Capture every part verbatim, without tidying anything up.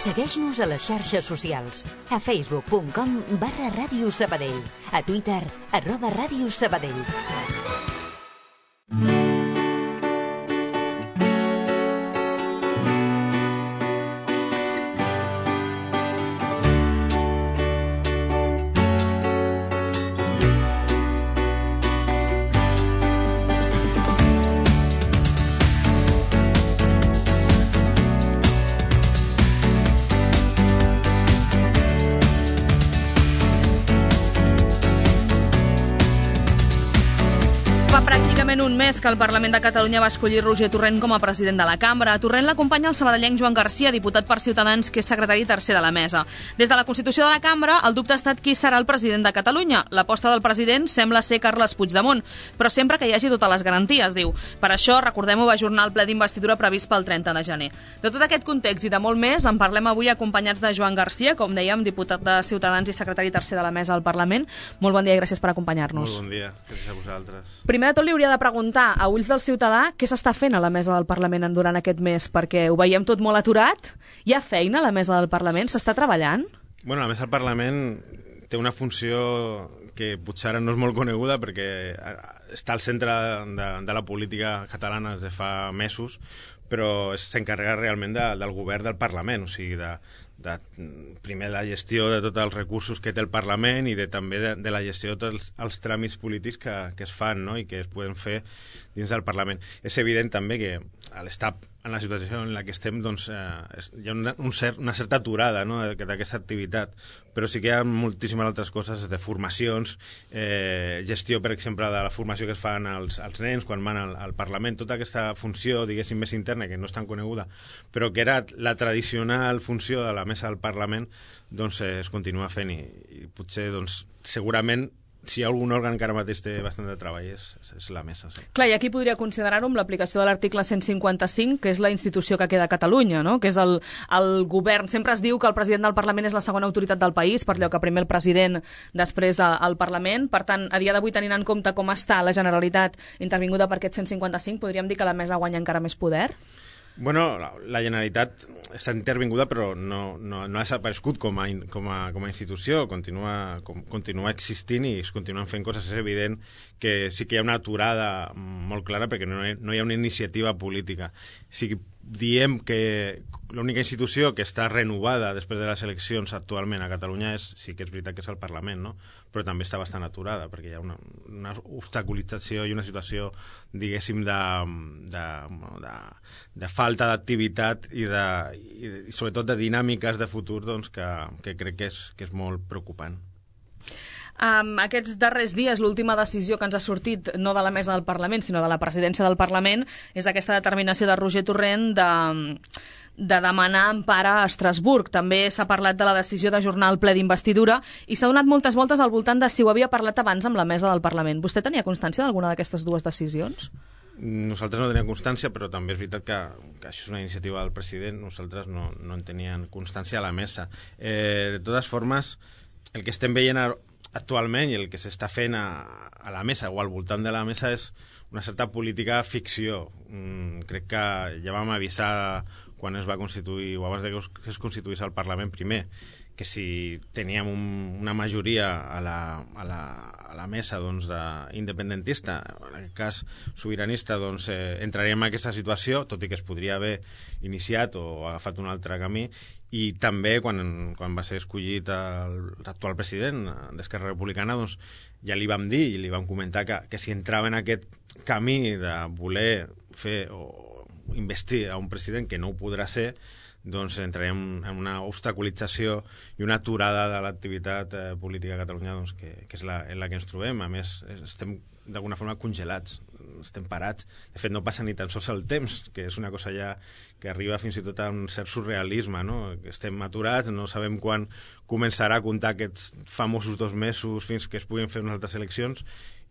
Segueix-nos a les xarxes socials. A facebook punt com barra Ràdio Sabadell. A Twitter, arroba Ràdio Sabadell. Un mes que el Parlament de Catalunya va escollir Roger Torrent com a president de la cambra. A Torrent l'acompanya el sabadellenc Joan Garcia, diputat per Ciutadans, que és secretari tercer de la mesa. Des de la Constitució de la cambra, el dubte ha estat qui serà el president de Catalunya. L'aposta del president sembla ser Carles Puigdemont, però sempre que hi hagi totes les garanties, diu. Per això, recordem-ho, va ajornar el ple d'investidura previst pel trenta de gener. De tot aquest context i de molt més, en parlem avui acompanyats de Joan Garcia, com dèiem, diputat de Ciutadans i secretari tercer de la mesa al Parlament. Molt bon dia i gràcies per acompanyar-nos. Molt bon dia, gràcies a vosaltres. Primer de tot li hauria de preguntar a ulls del ciutadà què s'està fent a la mesa del Parlament durant aquest mes, perquè ho veiem tot molt aturat. Hi ha feina a la mesa del Parlament? S'està treballant? Bueno, la mesa del Parlament té una funció que potser ara no és molt coneguda perquè està al centre de, de la política catalana des de fa mesos, però s'encarrega realment de, del govern del Parlament, o sigui, de, de, primer la gestió de tots els recursos que té el Parlament i de, també de, de la gestió de tots els, els tràmits polítics que, que es fan, no?, i que es poden fer dins del Parlament. És evident també que a l'estat, en la situació en la que estem, doncs, eh, hi ha una, un cert, una certa aturada, no?, d'aquesta activitat, però sí que hi ha moltíssimes altres coses, de formacions, eh, gestió, per exemple, de la formació que es fan als, als nens quan van al, al Parlament, tota aquesta funció, diguéssim, més interna, que no és tan coneguda, però que era la tradicional funció de la mesa del Parlament, doncs eh, es continua fent i, i potser, doncs, segurament, si hi ha algun òrgan que ara mateix té bastant de treball és, és la mesa. Sí. Clar, i aquí podria considerar-ho amb l'aplicació de l'article cent cinquanta-cinc, que és la institució que queda a Catalunya, no?, que és el, el govern. Sempre es diu que el president del Parlament és la segona autoritat del país, per allò que primer el president, després el Parlament. Per tant, a dia d'avui, tenint en compte com està la Generalitat intervinguda per aquest cent cinquanta-cinc, podríem dir que la mesa guanya encara més poder? Bueno, la, la Generalitat està intervinguda però no, no, no ha desaparegut com a, com a, com a institució, continua, com, continua existint i es continuen fent coses. És evident que sí que hi ha una aturada molt clara perquè no hi, no hi ha una iniciativa política. Sí que diem que l'única institució que està renovada després de les eleccions actualment a Catalunya és, sí que és veritat que és el Parlament, no?, però també està bastant aturada perquè hi ha una, una obstaculització i una situació, diguéssim, de, de, de, de falta d'activitat i, de, i, i sobretot de dinàmiques de futur, doncs, que, que crec que és, que és molt preocupant. Um, aquests darrers dies, l'última decisió que ens ha sortit, no de la mesa del Parlament, sinó de la presidència del Parlament, és aquesta determinació de Roger Torrent de, de demanar empara a Estrasburg. També s'ha parlat de la decisió d'ajornar el ple d'investidura i s'ha donat moltes voltes al voltant de si ho havia parlat abans amb la mesa del Parlament. Vostè tenia constància d'alguna d'aquestes dues decisions? Nosaltres no teníem constància, però també és veritat que, que això és una iniciativa del president. Nosaltres no, no en teníem constància a la mesa. Eh, de totes formes, el que estem veient ara actualment i el que s'està fent a, a la mesa o al voltant de la mesa és una certa política ficció. Mm, crec que ja vam avisar quan es va constituir o abans de que es constituís el Parlament primer que si teníem un, una majoria a la, a la, a la mesa, doncs, de, independentista, en aquest cas sobiranista, doncs, eh, entraríem en aquesta situació, tot i que es podria haver iniciat o agafat un altre camí. I també quan, quan va ser escollit l'actual president d'Esquerra Republicana, doncs, ja li vam dir i li vam comentar que, que si entrava en aquest camí de voler fer o investir a un president que no ho podrà ser, doncs entrarem en una obstaculització i una aturada de l'activitat eh, política a Catalunya, doncs, que, que és la, en la que ens trobem. A més, estem d'alguna forma congelats, estem parats. De fet, no passa ni tan sols el temps, que és una cosa ja que arriba fins i tot a un cert surrealisme, no? Estem aturats, no sabem quan començarà a comptar aquests famosos dos mesos fins que es puguin fer unes altres eleccions,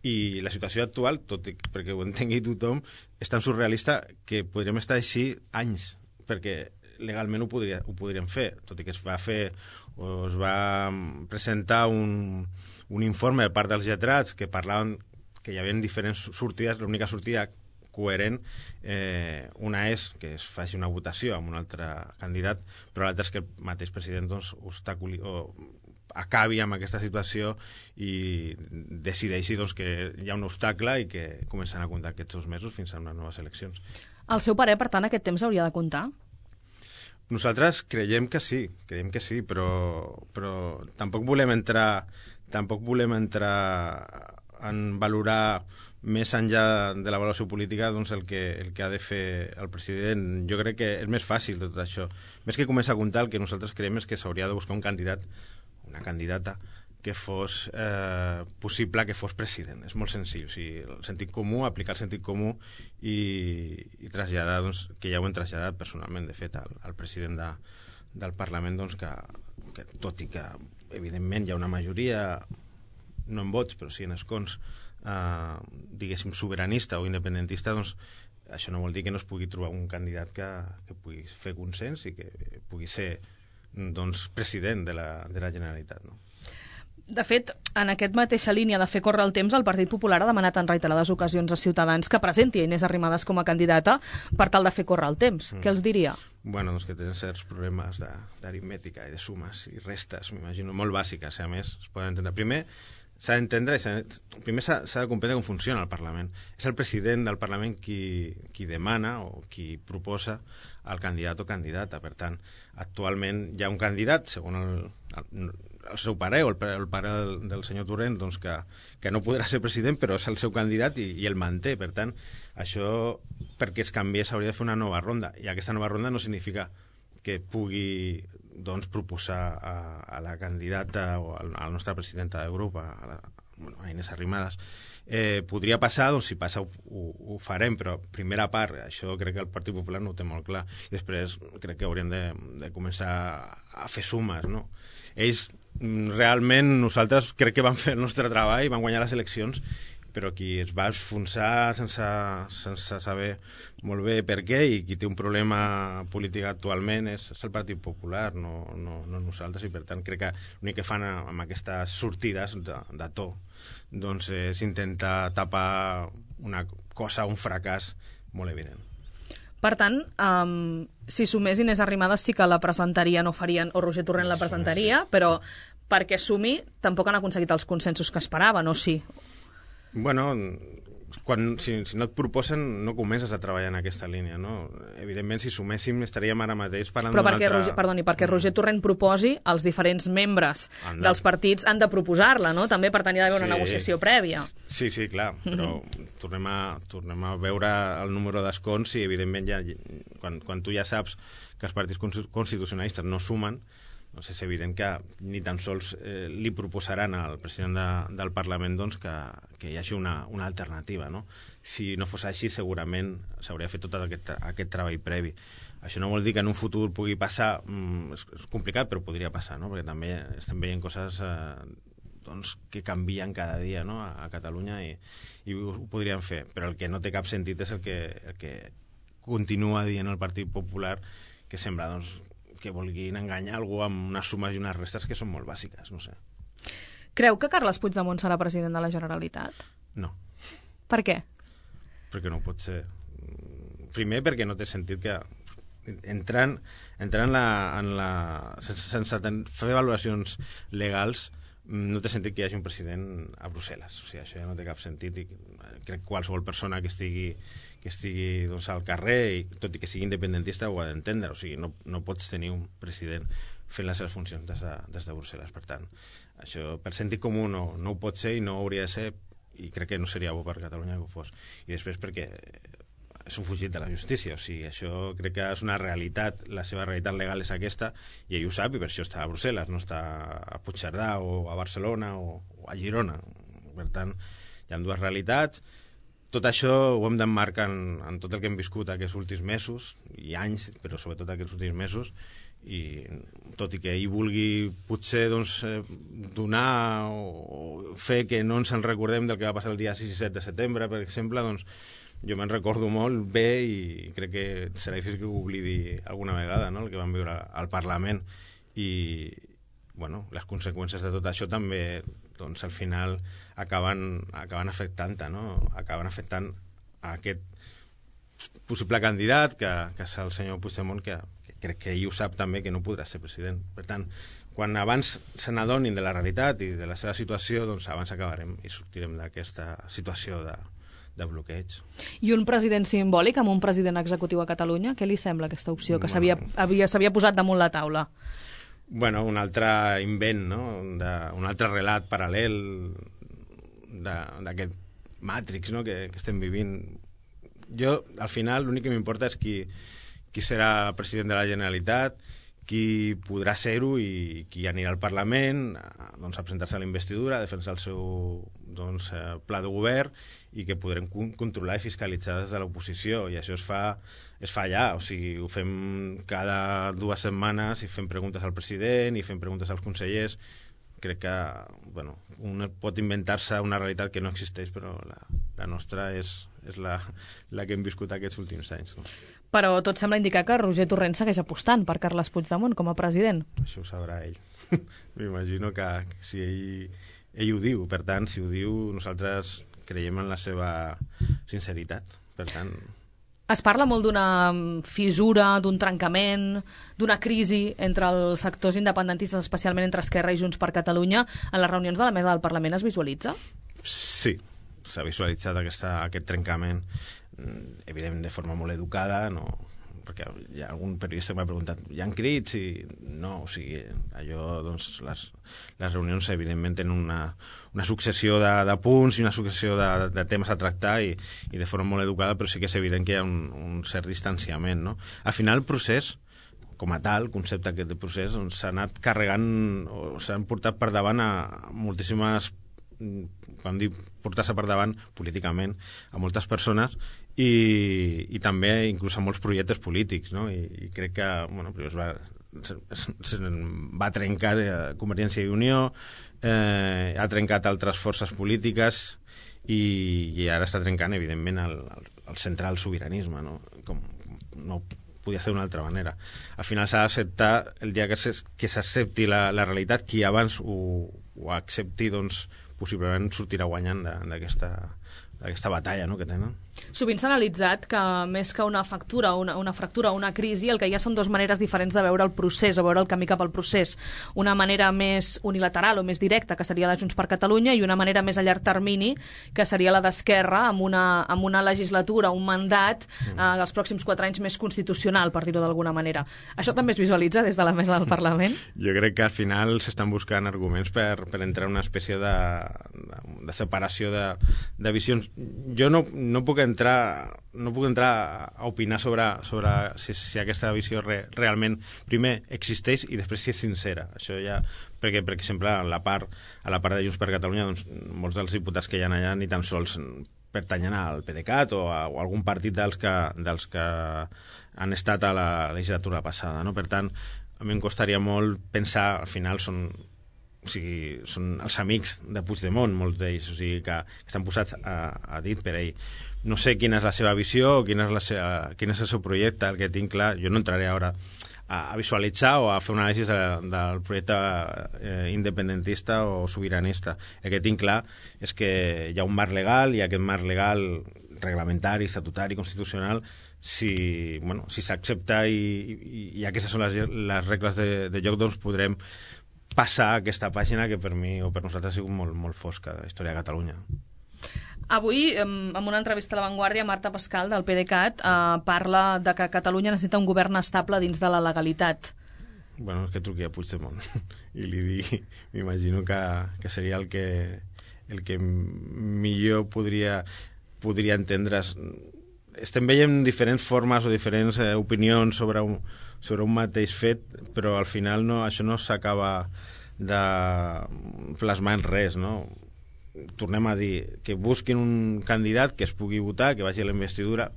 i la situació actual, tot i perquè ho entengui tothom, és tan surrealista que podríem estar així anys, perquè legalment ho, podria, ho podríem fer, tot i que es va fer o es va presentar un, un informe de part dels lletrats que parlaven que hi havia diferents sortides. L'única sortida coherent. Eh, una és que es faci una votació amb un altre candidat, però l'altra és que el mateix president doncs, obstaculi, o acabi amb aquesta situació i decideixi doncs, que hi ha un obstacle i que comencen a comptar aquests dos mesos fins a unes noves eleccions. Al seu parer, per tant, aquest temps hauria de comptar? Nosaltres creiem que sí, creiem que sí, però, però tampoc volem entrar tampoc volem entrar en valorar més enllà de la valoració política doncs, el, que, el que ha de fer el president. Jo crec que és més fàcil tot això. Més que començar a comptar, el que nosaltres creiem és que s'hauria de buscar un candidat, una candidata, que fos eh, possible que fos president. És molt senzill. O sigui, el sentit comú, aplicar el sentit comú i, i traslladar, doncs, que ja ho hem traslladat personalment, de fet, al, al president de, del Parlament, doncs, que, que tot i que, evidentment, hi ha una majoria, no en vots, però sí en escons, eh, diguéssim, sobiranista o independentista, doncs, això no vol dir que no es pugui trobar un candidat que, que pugui fer consens i que pugui ser doncs, president de la, de la Generalitat, no? De fet, en aquesta mateixa línia de fer córrer el temps, el Partit Popular ha demanat en reiterades ocasions a Ciutadans que presenti a Inés Arrimadas com a candidata per tal de fer córrer el temps. Mm. Què els diria? Bueno, doncs que tenen certs problemes d'aritmètica i de sumes i restes, m'imagino, molt bàsiques, a més, es poden entendre. Primer, s'ha d'entendre, primer s'ha de comprendre com funciona el Parlament. És el president del Parlament qui, qui demana o qui proposa el candidat o candidata. Per tant, actualment hi ha un candidat, segons el, el, el seu pare o el, el pare del, del senyor Torrent, doncs que, que no podrà ser president, però és el seu candidat i, i el manté. Per tant, això, perquè es canviés, s'hauria de fer una nova ronda. I aquesta nova ronda no significa que pugui doncs, proposar a, a la candidata o a la nostra presidenta de grup, a, la, bueno, a Inés Arrimadas. Eh, podria passar, doncs si passa ho, ho, ho farem, però primera part, això crec que el Partit Popular no ho té molt clar, i després crec que hauríem de, de començar a fer sumes, no? Ells, realment, nosaltres crec que van fer el nostre treball, van guanyar les eleccions, però qui es va enfonsar sense, sense saber molt bé per què i qui té un problema polític actualment és, és el Partit Popular, no, no, no nosaltres, i per tant crec que l'únic que fan amb aquestes sortides de, de to doncs és intentar tapar una cosa, un fracàs molt evident. Per tant, um, si sumés Inés Arrimadas sí que la presentaria, no farien, o Roger Torrent la presentaria, però perquè sumi tampoc han aconseguit els consensos que esperaven, o sí? Bueno, quan, si, si no et proposen no comences a treballar en aquesta línia, no? Evidentment, si suméssim estaríem ara mateix parlant Però d'una perquè, altra... Roger, perdoni, perquè Roger Torrent proposi, els diferents membres Anda. dels partits han de proposar-la, no? També per tenir d'haver sí. una negociació prèvia. Sí, sí, clar, però mm-hmm. tornem, a, tornem a veure el número d'escons i, evidentment, ja, quan, quan tu ja saps que els partits constitucionalistes no sumen, doncs és evident que ni tan sols eh, li proposaran al president de, del Parlament doncs, que, que hi hagi una, una alternativa, no? Si no fos així, segurament s'hauria fet tot aquest, aquest treball previ. Això no vol dir que en un futur pugui passar, mm, és, és complicat, però podria passar, no? Perquè també estem veient coses eh, doncs, que canvien cada dia, no? a, a Catalunya i, i ho, ho podríem fer. Però el que no té cap sentit és el que, el que continua dient el Partit Popular, que sembla doncs, que vulguin enganyar algú amb unes sumes i unes restes que són molt bàsiques, no sé. Creu que Carles Puigdemont serà president de la Generalitat? No. Per què? Perquè no pot ser. Primer, perquè no té sentit que entrant, entrant en la, en la, sense, sense fer valoracions legals no té sentit que hi hagi un president a Brussel·les. O sigui, això ja no té cap sentit i crec que qualsevol persona que estigui que estigui doncs, al carrer, i tot i que sigui independentista, ho ha d'entendre. O sigui, no, no pots tenir un president fent les seves funcions des de, des de Brussel·les. Per tant, això per sentit comú no, no ho pot ser i no hauria de ser, i crec que no seria bo per Catalunya que ho fos. I després perquè és un fugit de la justícia. O sigui, això crec que és una realitat, la seva realitat legal és aquesta, i ell ho sap, i per això està a Brussel·les, no està a Puigcerdà o a Barcelona o, o a Girona. Per tant, hi ha dues realitats. Tot això ho hem d'emmarcar en, en tot el que hem viscut aquests últims mesos i anys, però sobretot aquests últims mesos, i tot i que ell vulgui potser doncs, donar o fer que no ens en recordem del que va passar el dia sis i set de setembre, per exemple, doncs jo me'n recordo molt bé i crec que serà difícil que ho oblidi alguna vegada, no?, el que vam viure al Parlament. I bueno, les conseqüències de tot això també doncs, al final acaben, acaben afectant-te, no? Acaben afectant a aquest possible candidat, que, que és el senyor Puigdemont, que, que crec que ell ho sap també, que no podrà ser president. Per tant, quan abans se n'adonin de la realitat i de la seva situació, doncs abans acabarem i sortirem d'aquesta situació de, de bloqueig. I un president simbòlic amb un president executiu a Catalunya, què li sembla aquesta opció que s'havia havia, s'havia posat damunt la taula? Bueno, un altre invent, no? De, un altre relat paral·lel d'aquest Matrix, no? que, que estem vivint. Jo, al final, l'únic que m'importa és qui, qui serà president de la Generalitat, qui podrà ser-ho i qui anirà al Parlament doncs, a presentar-se a la investidura, a defensar el seu doncs, pla de govern i que podrem controlar i fiscalitzar des de l'oposició. I això es fa, es fa allà, o sigui, ho fem cada dues setmanes i fem preguntes al president i fem preguntes als consellers. Crec que bueno, un pot inventar-se una realitat que no existeix, però la, la nostra és, és la, la que hem viscut aquests últims anys. No? Però tot sembla indicar que Roger Torrent segueix apostant per Carles Puigdemont com a president. Això ho sabrà ell. M'imagino que si ell, ell ho diu, per tant, si ho diu, nosaltres creiem en la seva sinceritat. Per tant... Es parla molt d'una fissura, d'un trencament, d'una crisi entre els sectors independentistes, especialment entre Esquerra i Junts per Catalunya. En les reunions de la mesa del Parlament es visualitza? Sí, s'ha visualitzat aquesta, aquest trencament, evident de forma molt educada, no? Perquè hi ha algun periodista que m'ha preguntat hi ha crits? I no, o sigui, allò, doncs, les, les reunions evidentment tenen una, una successió de, de punts i una successió de, de temes a tractar i, i de forma molt educada, però sí que és evident que hi ha un, un cert distanciament, no? Al final el procés, com a tal, el concepte aquest de procés, doncs, s'ha anat carregant o s'han portat per davant a moltíssimes, quan dic portar-se per davant políticament a moltes persones i, i també inclús a molts projectes polítics, no? I, i crec que bueno, es va, es, es va trencar Convergència i Unió, eh, ha trencat altres forces polítiques i, i ara està trencant evidentment el, el, el central sobiranisme, no? Com no podia ser d'una altra manera. Al final s'ha d'acceptar el dia que s'accepti la, la realitat, qui abans ho, ho accepti, doncs possiblement sortirà guanyant d'aquesta aquesta batalla, no?, que tenen. Sovint s'ha analitzat que més que una fractura, una, una fractura o una crisi, el que hi ha són dues maneres diferents de veure el procés o veure el camí cap al procés. Una manera més unilateral o més directa, que seria la Junts per Catalunya, i una manera més a llarg termini, que seria la d'Esquerra, amb una, amb una legislatura, un mandat mm. eh, dels pròxims quatre anys més constitucional, per dir-ho d'alguna manera. Això també es visualitza des de la mesa del Parlament? Jo crec que al final s'estan buscant arguments per, per entrar en una espècie de, de, de separació de, de visions. Jo no, no puc entrar no puc entrar a opinar sobre, sobre si, si aquesta visió re, realment primer existeix i després si és sincera. Això ja, perquè, per exemple, a la part, a la part de Junts per Catalunya, doncs, molts dels diputats que hi ha allà ni tan sols pertanyen al PDeCAT o a, o a algun partit dels que, dels que han estat a la legislatura passada, no? Per tant, a mi em costaria molt pensar, al final són o sigui, són els amics de Puigdemont, molts d'ells, o sigui, que, que estan posats a, a dit per ell. No sé quina és la seva visió, quin és, la seva, quin és el seu projecte, el que tinc clar. Jo no entraré ara a, a visualitzar o a fer una anàlisi de, del projecte eh, independentista o sobiranista. El que tinc clar és que hi ha un marc legal i aquest marc legal reglamentari, estatutari, constitucional, si, bueno, si s'accepta i, i, i aquestes són les, les regles de, de joc, doncs podrem passar aquesta pàgina que per mi o per nosaltres ha sigut molt, molt fosca de la història de Catalunya. Avui, en una entrevista a La Vanguardia, Marta Pascal, del PDeCAT, eh, parla de que Catalunya necessita un govern estable dins de la legalitat. Bueno, és que truqui a Puigdemont i li digui, m'imagino que, que seria el que, el que millor podria, podria entendre's. Estem veient diferents formes o diferents eh, opinions sobre un, sobre un mateix fet, però al final no, això no s'acaba de plasmar en res, no? Tornem a dir que busquin un candidat que es pugui votar, que vagi a la investidura,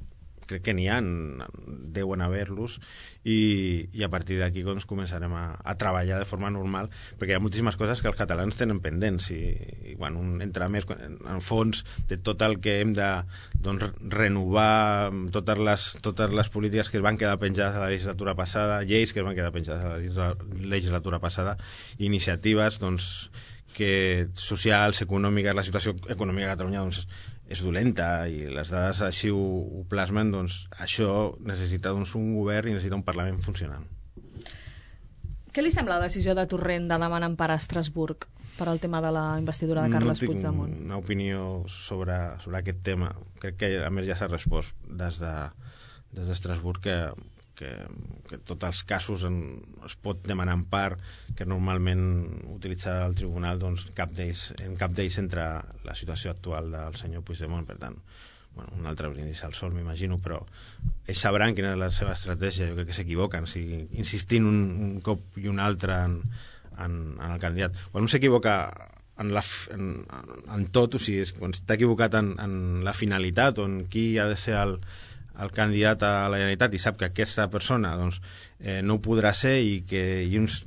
crec que n'hi ha, deuen haver-los, i, i a partir d'aquí doncs, començarem a, a treballar de forma normal, perquè hi ha moltíssimes coses que els catalans tenen pendents, i, i quan un entra més en fons de tot el que hem de doncs, renovar, totes les, totes les polítiques que es van quedar penjades a la legislatura passada, lleis que es van quedar penjades a la legislatura passada, iniciatives doncs, que socials, econòmiques, la situació econòmica de Catalunya doncs, és dolenta i les dades així ho, ho plasmen, doncs això necessita doncs, un govern i necessita un Parlament funcionant. Què li sembla la decisió de Torrent de demanar empara a Estrasburg per al tema de la investidura de Carles Puigdemont? No tinc una opinió sobre, sobre aquest tema. Crec que a més ja s'ha respost des de, des d'Estrasburg que que, que tots els casos en, es pot demanar empar, que normalment utilitza el tribunal, doncs cap d'ells, en cap d'ells entra la situació actual del senyor Puigdemont. Per tant, bueno, un altre brindis al sol, m'imagino, però ells sabran quina és la seva estratègia. Jo crec que s'equivoquen, si insistint un, un cop i un altre en, en, en el candidat. Quan un s'equivoca en, la, en, en tot, o sigui, quan està equivocat en, en la finalitat o en qui ha de ser el el candidat a la Generalitat i sap que aquesta persona doncs, eh, no ho podrà ser i que i uns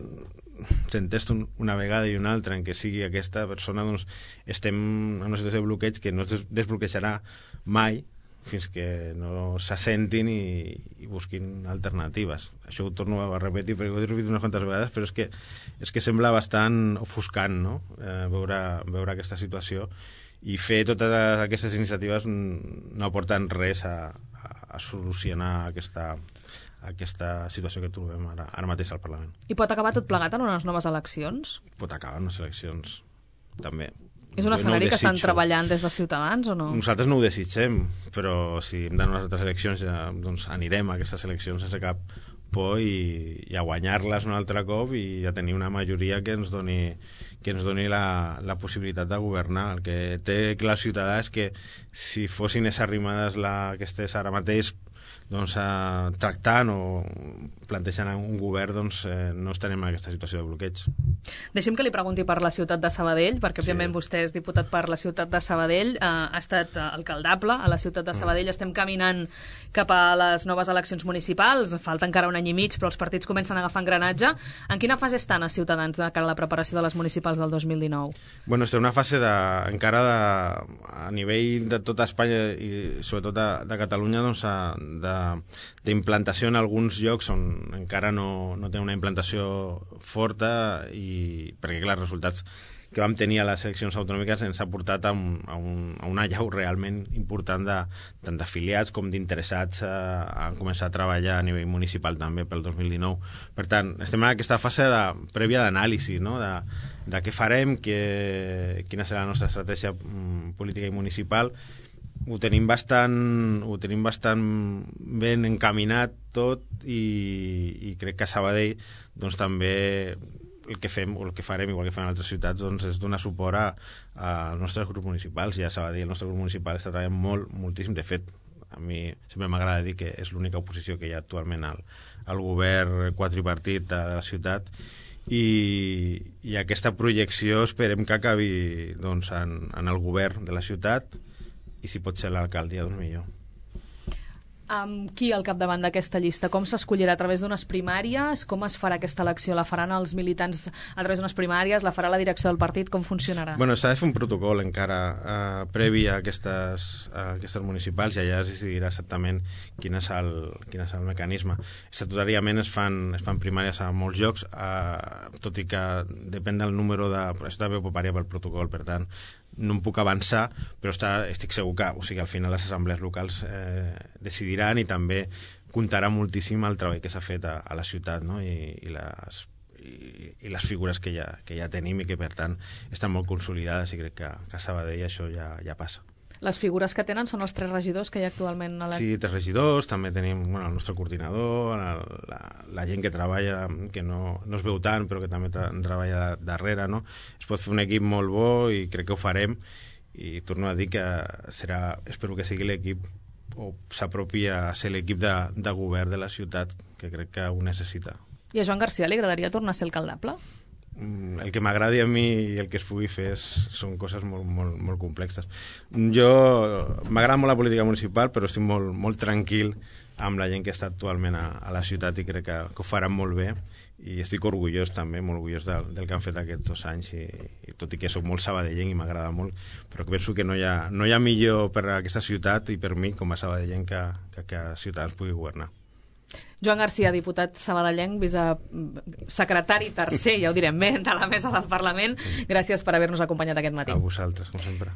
s'entesta un, una vegada i una altra en què sigui aquesta persona, doncs estem en una situació de bloqueig que no es des desbloquejarà mai fins que no s'assentin i, i busquin alternatives. Això ho torno a repetir perquè ho he repetit unes quantes vegades, però és que, és que sembla bastant ofuscant, no? eh, veure, veure aquesta situació, i fer totes aquestes iniciatives no aporten res a a solucionar aquesta, aquesta situació que trobem ara, ara mateix al Parlament. I pot acabar tot plegat en unes noves eleccions? Pot acabar en unes eleccions, també. És un escenari no que estan treballant des de Ciutadans o no? Nosaltres no ho desitgem, però si hem d'anar a unes altres eleccions ja, doncs anirem a aquestes eleccions sense cap por i, i a guanyar-les un altre cop i a tenir una majoria que ens doni, que ens doni la, la possibilitat de governar. El que té clar Ciutadà és que si fossin les arrimades la, que estès ara mateix doncs, eh, tractant o plantejant un govern, doncs eh, no estarem en aquesta situació de bloqueig. Deixem que li pregunti per la ciutat de Sabadell, perquè òbviament sí. Vostè és diputat per la ciutat de Sabadell, eh, ha estat alcaldable a la ciutat de Sabadell, mm. Estem caminant cap a les noves eleccions municipals, falta encara un any i mig, però els partits comencen a agafar engranatge. En quina fase estan els ciutadans de cara a la preparació de les municipals del dos mil dinou? Bueno, estem en una fase de, encara de, a nivell de tota Espanya i sobretot de, de Catalunya, doncs, de d'implantació en alguns llocs on encara no, no té una implantació forta, i perquè clar, els resultats que vam tenir a les eleccions autonòmiques ens ha portat a, un, a, un, a una llau realment important de, tant d'afiliats com d'interessats a, a començar a treballar a nivell municipal també pel dos mil dinou. Per tant, estem en aquesta fase de, prèvia d'anàlisi, no? de, de què farem, que, quina serà la nostra estratègia mm, política i municipal. Ho tenim bastant, ho tenim bastant ben encaminat tot, i, i crec que a Sabadell doncs, també el que fem o el que farem, igual que fan altres ciutats, doncs, és donar suport a, als nostres grups municipals. I a Sabadell el nostre grup municipal està treballant molt, moltíssim. De fet, a mi sempre m'agrada dir que és l'única oposició que hi ha actualment al, al govern quadripartit de la ciutat, i, i aquesta projecció esperem que acabi doncs, en, en el govern de la ciutat, i si pot ser l'alcaldia, doncs millor. Amb qui al capdavant d'aquesta llista? Com s'escollirà? A través d'unes primàries? Com es farà aquesta elecció? La faran els militants a través d'unes primàries? La farà la direcció del partit? Com funcionarà? Bueno, s'ha de fer un protocol encara eh, previ a aquestes, a aquestes municipals, i allà es decidirà exactament quin és el, quin és el mecanisme. Estatutàriament es fan, es fan primàries a molts llocs, eh, tot i que depèn del número de... Això també pot variar pel protocol, per tant, no em puc avançar, però està, estic segur que, o sigui, al final les assemblees locals eh, decidiran, i també comptarà moltíssim el treball que s'ha fet a, a la ciutat, no? I, i, les, i, i les figures que ja, que ja tenim i que per tant estan molt consolidades, i crec que, que a Sabadell això ja, ja passa. Les figures que tenen són els tres regidors que hi ha actualment a la... Sí, tres regidors, també tenim bueno, el nostre coordinador, la, la, la gent que treballa, que no, no es veu tant, però que també tra treballa darrere, no? Es pot fer un equip molt bo, i crec que ho farem, i torno a dir que serà, espero que sigui l'equip, o s'apropi a ser l'equip de, de govern de la ciutat, que crec que ho necessita. I a Joan Garcia li agradaria tornar a ser alcaldable? El que m'agradi a mi i el que es pugui fer és, són coses molt, molt, molt complexes. Jo m'agrada molt la política municipal, però estic molt, molt tranquil amb la gent que està actualment a, a la ciutat, i crec que, que ho faran molt bé, i estic orgullós també, molt orgullós del, del que han fet aquests dos anys, i, i tot i que soc molt sabadellenc i m'agrada molt, però que penso que no hi, ha, no hi ha millor per a aquesta ciutat i per mi com a sabadellenc que, que, que Ciutadans pugui governar. Joan Garcia, diputat sabadellenc, vicesecretari tercer, ja ho direm bé, de la mesa del Parlament. Gràcies per haver-nos acompanyat aquest matí. A vosaltres, com sempre.